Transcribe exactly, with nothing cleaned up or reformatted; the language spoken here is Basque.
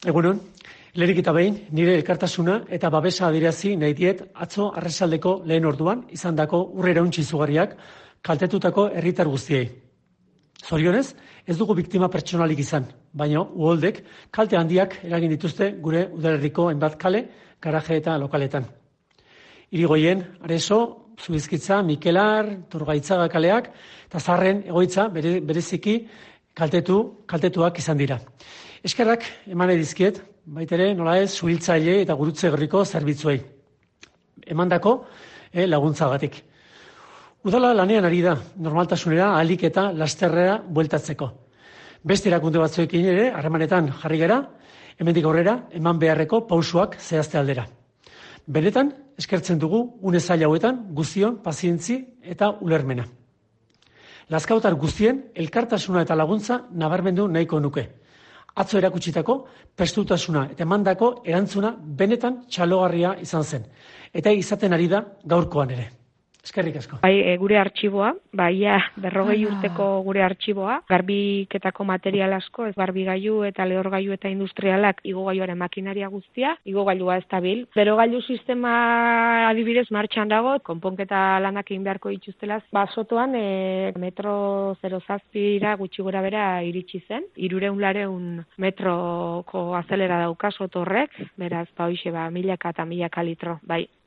Egunon, lehenik eta behin, nire elkartasuna eta babesa adierazi nahi diet atzo arratsaldeko lehen orduan izandako ur iraun izugarriak kaltetutako herritar guztiei. Zorionez, ez dugu biktima pertsonalik izan, baina uholdek kalte handiak eragin dituzte gure udalerriko hainbat kale, garaje eta lokaletan. Irigoien, Areso, Zubizkitza, Mikelar, Turgaitzaga kaleak eta Zarren egoitza bere, bereziki kaltetu, kaltetuak izan dira. Eskerrak eman edizkiet, baitere nola ez, suhiltzaile eta gurutze gerriko zerbitzuei. Emandako eh, laguntzagatik. Udala lanean ari da, normaltasunera, ahalik eta lasterrera bueltatzeko. Beste erakunde batzuekin ere, harremanetan jarri gara, hemendik aurrera, eman beharreko pausuak zehazte aldera. Benetan, eskertzen dugu, une zaila hauetan, guztion, pazientzi eta ulermena. Lazkautar guztien, elkartasuna eta laguntza nabarmendu nahiko nuke. Atzo erakutsitako, prestutasuna eta emandako erantzuna benetan txalogarria izan zen. Eta izaten ari da gaurkoan ere. Eskerrik asko. Bai, e, gure artxiboa, bai, ja, berrogei urteko gure artxiboa, garbiketako material asko, ez garbigailu eta lehorgailu eta industrialak igogailuaren makinaria guztia, igogailua ez dabil. Berogailu sistema adibidez martxan dago, konponketa lanak egin beharko dituztela, ba, sotoan e, metro zero zazpira gutxi gora bera iritsi zen, irureun lareun metroko azelera dauka soto horrek, beraz, ba, hoxe, ba, milaka eta milaka litro, bai.